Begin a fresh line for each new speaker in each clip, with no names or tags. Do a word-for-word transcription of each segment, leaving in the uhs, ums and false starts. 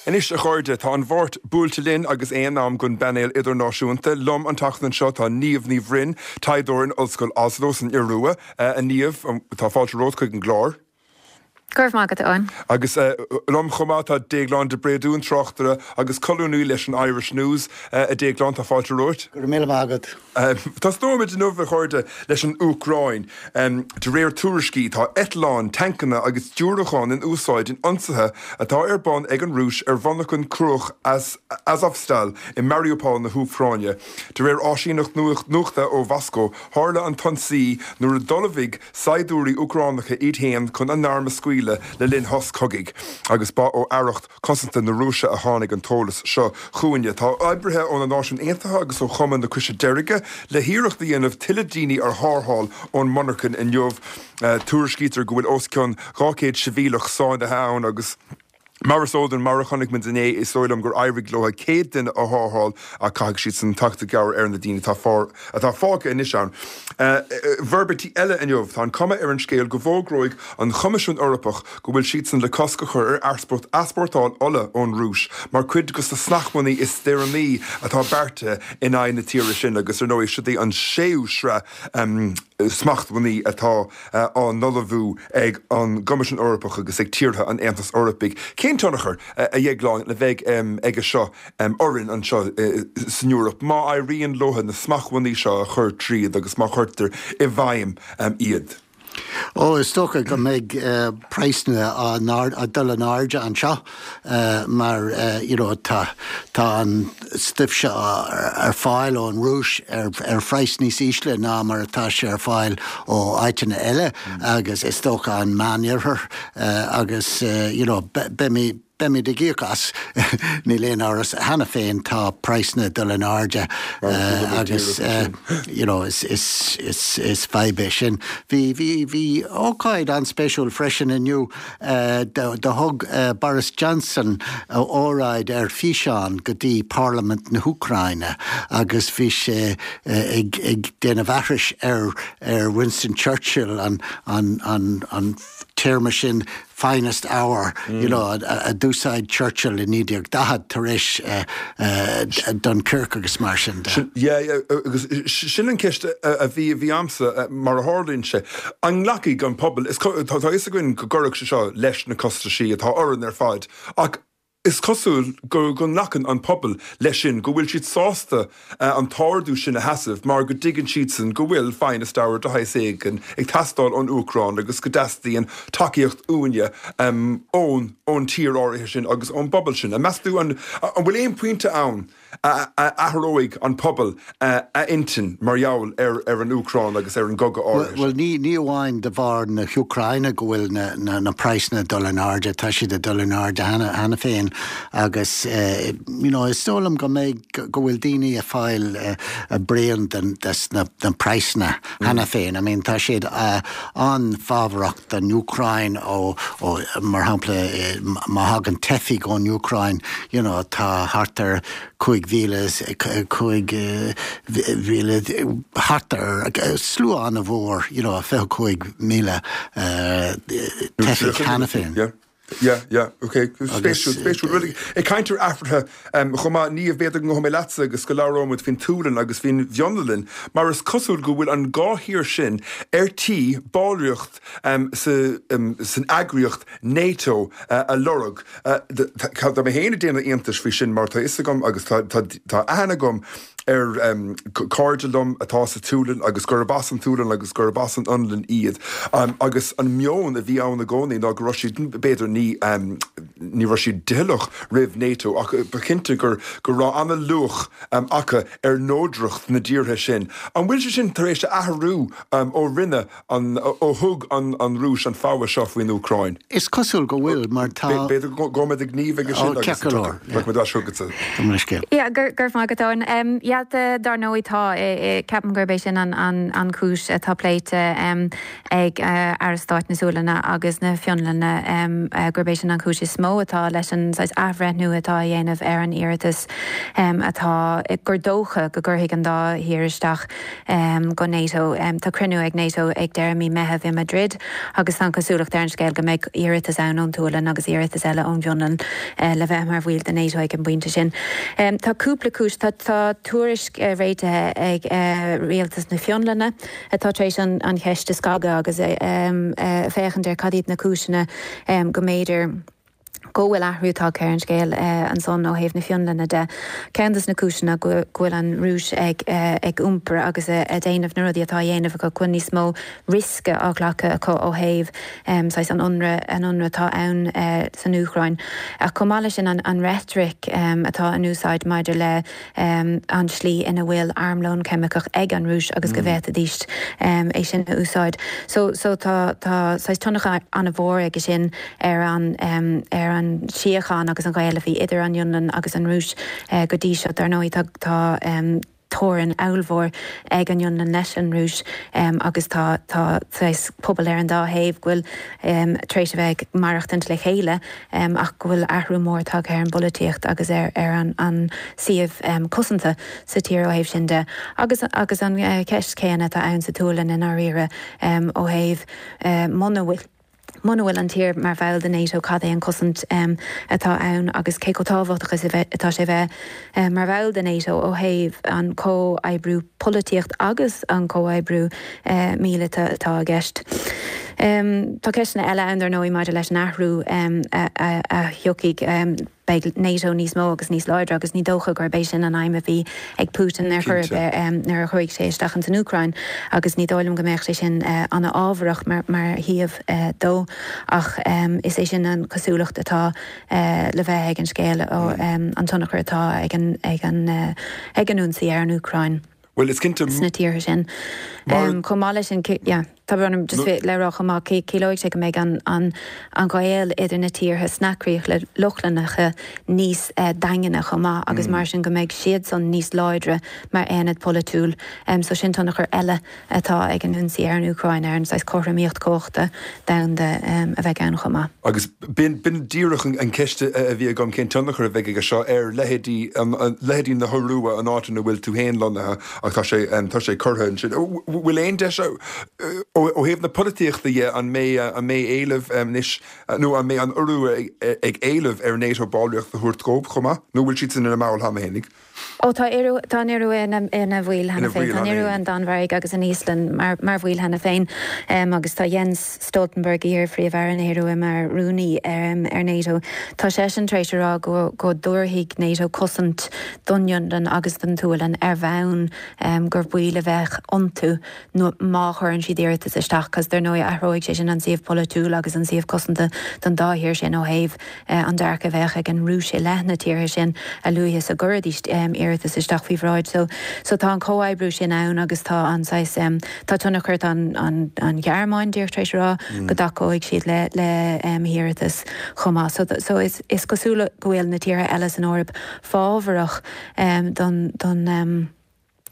Anois a chairde tá an Mháirt buailte linn agus é in am don bpainéal idirnáisiúnta. Liom an tseachtain seo tá Niamh Ní Bhroin, taighdeoir in Ollscoil Oslo san Iorua a Niamh tá fáilte romhat chuig an gclár.
Go raibh maith agat Eoin.
Agus uh, liom chomh maith tá Déaglán de Bréadún tráchtaire agus colúnaí leis an Irish News uh, a Déaglán tá fáilte romhat.
Go raibh maith agat.
Uh, Tosnóimid inniu a chairde leis an Úcráin. Um, de réir tuairiscí tá eitleáin, tancanna agus diúracáin in úsáid in ionsaithe atá ar bun ag an Rúis ar mhonarcha cruach as Azovstal i Mariupol na hÚcráine. De réir áisíneacht nuachta ó Mhoscó, tharla an t-ionsaí nuair a d'ullmhaigh saighdiúirí Úcránacha iad féin chun a n-arm a scaoileadh le linn sos cogaidh, agus ba ó aireacht cosanta na Rúise a tháinig an t-eolas seo chugainne. Tá oibrithe ó na Náisiúin Aontaithe agus ó Chumann na Croise Deirge le hiarracht a dhéanamh tuilleadh daoine a tharrtháil ón monarcha inniu. Uh, Tuairiscítear go bhfuil os cionn dhá chéad sibhialtach sáinnithe ann agus Mar is eol mar a chonaic muid inné is dóigh liom gur éirigh leo céad duine a tharrtháil ach caithfidh siad san teacht i gcabhair ar na daoine atá atá fágtha anois ann. Uh, Forbairtí eile inniu tá an cuma ar an scéal go bhfógróidh an Coimisiún Eorpach go bhfuil siad san le cosc a chur ar easpórtáil ola ón Rúis, mar chuid de na smachtbhannaí is deireanaí atá beartaithe in aghaidh na tíre sin agus ar ndóigh siod í an séú sraith um, smachtbhannaí atá uh, á n-ullmhú ag an gCoimisiún Eorpach agus ag tíortha an Aontais Eorpaigh. Cén tionchar uh, a Dhéagláin a bheidh um, aige seo um, orainn anseo uh, san Eoraip má éiríonn leo na smachtbhannaí seo a chur tríd agus má chuirtear i bhfeidhm um, iad.
Ó is dócha go mbeidh uh, praghsanna á dul in airde anseo uh, mar uh, you know, tá tá an stuif seo ar fáil ón Rúis ar, ar phraghas níos ísle ná mar atá sé ar fáil ó áiteanna eile mm. agus is dócha an Meánoirthear uh, agus uh, you know, beimid Beimid ag íoc as níl aon amhras cheana féin tá praghsanna dul in airde uh, agus uh, you know, is, is, is, is fadhb é sin. Bhí bhí bhí ócáid an-speisialta freisin inniu uh, do, do thug uh, Boris Johnson uh, óráid ar físeán go dtí Parlaimint na hÚcráine agus bhí sé uh, ag, ag déanamh aithris ar ar Winston Churchill an, an, an, an téarma sin finest hour mm. you know, a, a d'úsáid Churchill i naoi déag daichead tar éis uh, uh, Dunkirk agus mar sin.
agus sin an ceist a bhí bhí agamsa mar a tharlaíonn sé. An nglacfaidh an pobal tá fhios againn go gcuirfidh sé seo leis na costaisí atá orainn ar fad ach is cosúil go go nglacann an pobal leis sin go bhfuil siad sásta uh, an t-ardú sin a sheasamh mar go dtuigeann siad san go bhfuil finest hour de shaghas éigin ag teastáil ón Úcráin agus go dteastaíonn tacaíocht uainne um, ón ón tír áirithe sin agus ón bpobal sin. A meas tú an an bhfuil aon pointe ann a athróidh an pobal a intinn mar gheall ar ar an Úcráin agus ar an gcogadh áirithe.
Well ní ní amháin de bharr na hÚcráine go bhfuil na, na, na praghsanna dul in airde tá siad dul in airde cheana féin agus uh, you know, is dóigh liom go mbeidh go bhfuil daoine ag fáil uh, a braon den des na, den praghsanna cheana féin. I mean, tá siad uh, an-fhábharach den Úcráin ó, ó mar shampla uh, má thagann teifigh ón Úcráin you know, tá thart ar cúig mhíle cúig mhíle thart ar slua an-mhór you know, fiche cúig míle teifigh cheana féin.
Yeah. Yeah, yeah, okay. Spéisiúil, spéisiúil. Ag caint ar athruithe chomh maith ní b'fhéidir go mé leatsa agus go labhróimid faoin tSualainn agus faoin bhFionlainn, mar is cosúil go bhfuil an dhá thír sin ar tí ballraíocht um, sa, um, san eagraíocht NATO uh, a lorg. Uh, Tá mé féin ag déanamh iontais faoi sin mar tá fhios agam agus tá aithne agam ar um, cairde liom atá sa tSualainn agus gurb as an tSualainn agus gurb as an Fhionlainn iad. Um, agus an meon a bhí ann i gcónaí ná go raibh siad b'fhéidir ní um, ní raibh siad doicheallach roimh NATO ach ba chinnte gur go raibh an-luach um, acu ar neodracht na dtíortha sin. An bhfuil sé sin tar éis athrú um, ó rinne an ó thug an, an Rúis an fogha seo faoin Úcráin.
Is cosúil go bhfuil mar tá
B'fhéidir go mbeidh gníomh sin
Yeah, gur gur maith go. Yeah, dar ndóigh tá ceapaim gurb é sin an, an, an chúis atá pléite um, ag uh, Aire Stáit na Sualainne agus na Fionlainne um, uh, gurb é sin an chúis is mó atá leis an athbhreithniú atá á dhéanamh ar an iarratas um, atá gur dócha go gcuirfidh an dá thír isteach um, go NATO. Um, tá cruinniú ag NATO ag deireadh mí Mheithimh i Madrid agus an cosúlacht ar an scéal go mbeidh iarratas ann ón tSualainn agus iarratas eile ón bhFionlainn uh, le bheith mar bhaill de NATO ag an bpointe sin. Um, tá cúpla cúis tá tá tuairisc uh, réitithe ag uh, rialtas na Fionlainne atá tar éis an, an cheist a scagadh agus um, uh, féachaint ar cad iad na cúiseanna um, go mb'fhéidir go bhfuil athrú tagtha ar an scéal uh, ansan ó thaobh na Fionlainne de. Ceann de na cúiseanna go bhfuil an Rúis ag, uh, ag iompar agus uh, a déanamh na rudaí atá á dhéanamh go bhfuil níos mó riosca á ghlacadh acu ó thaobh um, an ionradh an ionradh atá ann uh, san Úcráin. Ach chomh maith sin an, an rhetoric um, atá in úsáid maidir le um, an slí ina bhfuil armlón ceimiceach ag an Rúis agus mm. go bhféadfaidís um, é sin a úsáid. So, so tá tá tionchar an-mhór aige sin ar an um, ar an síocháin agus an gaol a bhí idir an Fhionlainn agus an Rúis uh, go dtí seo dar ndóigh tá tá um, teorainn ollmhór ag an Fhionlainn leis an Rúis um, agus tá tá pobal ar an dá thaobh go bhfuil um, tar éis a bheith maireachtaint le chéile um, ach go bhfuil athrú mór tagtha ar an bpolaitíocht agus ar ar an, an suíomh um, cosanta sa tír ó thaobh sin de. Agus agus an uh, ceist céanna atá ann sa tSualainn i ndáiríre um, ó thaobh uh, muna bhfuil. Muna bhfuil an tír mar bhall de NATO cad é an cosaint um, atá ann agus cé chomh tábhachtach atá sé bheith um, mar bhall de NATO ó thaobh an comhoibriú polaitíocht agus an comhoibriú uh, míleata atá i gceist. Um, tá ceisteanna eile ann dar ndóigh maidir leis an athrú um, a, a, a thiocfaidh um, beidh NATO níos mó agus níos láidre agus ní dócha gurb é sin an aidhm a bhí ag Putin ar chur um, nuair a chuaigh sé isteach san Úcráin agus ní dóigh liom go mbeadh sé sin uh, an-ámharach mar, mar shuíomh uh, dó ach um, is é sin an cosúlacht atá uh, le bheith ag an scéal ó um, an tionchar atá ag an, ag an, uh, ag an ionsaí ar an Úcráin.
Well is cinnte
sna tíortha sin. Um, Chomh maith leis sin yeah. Tá just no. le rá amach ciallóidh sé go mbeidh an, an, an gaol idir na tíortha sna Críocha Lochlannacha níos uh, daingne chomh maith agus mm. mar sin go mbeidh siad san níos láidre mar aonad polaitiúil um, so sin tionchar eile atá ag an ionsaí ar an Úcráin ar an saghas cothromaíocht cumhachta domhanda um, a bheith ann chomh maith.
Agus b'in b'in díreach an ceist a bhí agam cén tionchar a bheidh aige seo ar leithéidí leithéidí na hIorua an áit ina bhfuil tú féin lonnaithe ach tá sé tá sé curtha sin. Bhfuil aon deis ó thaobh na polaitíochta dhe an mbeidh an mbeidh éileamh anois nó an mbeidh an Iorua ag éileamh ar NATO ballraíocht a thabhairt dóibh chomh maith, nó bhfuil siad sin ina mbaill cheana féinig.
Ó tá tá an Iorua ina bhaill cheana féin, Tá an Iorua an Danmhairg agus an Íoslainn mar mar bhaill cheana féin um, agus tá Jens Stoltenberg iar-phríomh-aire na hIorua mar rúnaí um, ar NATO. Tá seisean tar éis a rá go go dtabharfaidh NATO cosaint don Fhionlainn agus don tSualainn ar bhonn um, gur baill a bheith iontu nó má chuireann siad iarratas isteach, cos dar ndóigh athróidh sé sin an suíomh polaitiúil agus an suíomh cosanta don dá thír sin ó thaobh uh, an dearcadh a bheadh ag an Rúis i leith na tíortha sin a luaithe is a gcuirfidís um, iarratas isteach faoi bhráid. So, so tá an comhoibriú sin ann agus tá an saghas um, tá tionchar an, an, an Ghearmáin díreach tar éis a rá mm. go dtacóidh siad le, le um, hiarratas chomh maith. So, so is, is cosúil go bhfuil na tíortha eile san Eoraip fábharach um, don, don um,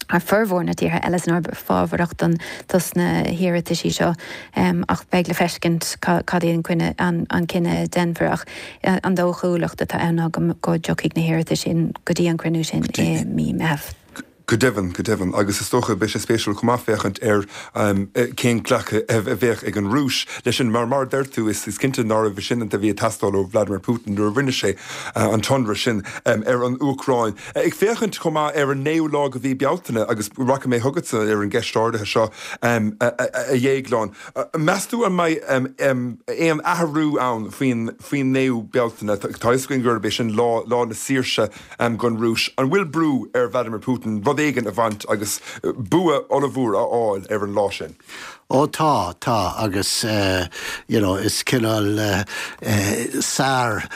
ar formhór na tíortha eile san Eoraip fábharach don dos na hiarrataisí seo um, ach beidh le feiscint cad é an cinneadh an, an cinneadh a déanfar ach an dóchúlacht atá ann go, go dtiocfaidh na hiarratais sin go dtí an cruinniú sin i mí Mheithimh.
Go deimhin, go deimhin, agus is dócha beidh sé spéisiúil chomh maith féachaint ar um, cén glacadh a bheadh ag an Rúis leis sin mar mar deir tú is is cinnte nárbh sin a bhí ag teastáil ó Vladimir Putin nuair a rinne sé uh, an t-ionradh sin um, ar an Úcráin. Ag féachaint chomh maith ar an naoú lá de mhí Bealtaine agus rachaidh mé chugatsa ar an gceist áirithe seo um, a, a, a Dhéagláin. Meas tú an mbeidh um, um, aon athrú ann faoin faoin naoú Bealtaine tá a fhios againn gurb é sin lá lá na saoirse um, don Rúis. An bhfuil brú ar Vladimir Putin rud éigin a bhaint agus bua ollmhór a fháil ar an lá sin.
Ó tá, tá, agus you know is cineál Sár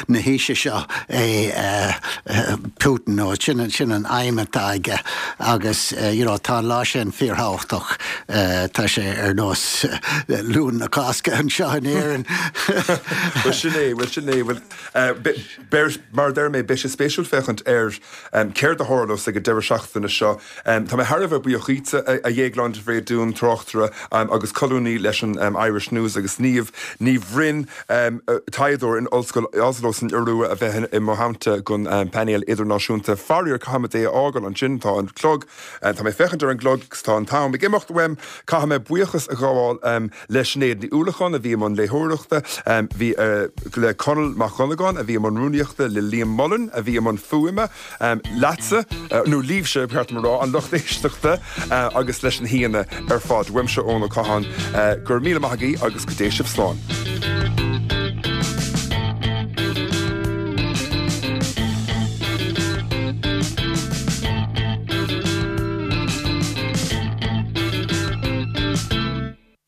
na haoise seo é Putin, nó sin sin an aidhm atá aige agus you know tá an lá sin fíorthábhachtach, tá sé ar nós Luan na Cásca anseo in Éirinn.
Bhuel sin é, bhuel sin é, bhuel mar a deir mé beidh sé spéisiúil féachaint ar céard a tharlós ag an deireadh seachtaine seo. Tá mé thar a bheith buíoch dhíotsa, a Dhéagláin de Bhréadún, tráchtaire agus colúnaí leis an Irish News agus Niamh Ní Bhroin, taighdeoir in Ollscoil Oslo san Iorua a bheith i mo theannta don phainéal idirnáisiúnta. Faraor, caithfimid é a fhágáil ansin, tá an clog, tá mé ag féachaint ar an gclog agus tá an t-am ag imeacht uaim. Caithfidh mé buíochas a ghabháil le Sinéad Ní Uallacháin a bhí i mbun léitheoireachta, bhí le Conall Mac Dhonnagáin a bhí i mbun rúnaíochta, le Liam Mullen a bhí i mbun fuaime, leatsa, nó libhse, ba cheart dom a rá, an lucht éisteachta agus leis na haíonna ar fad. Uaimse Eoin Ó Catháin, go raibh míle maith agaibh agus go dté sibh slán.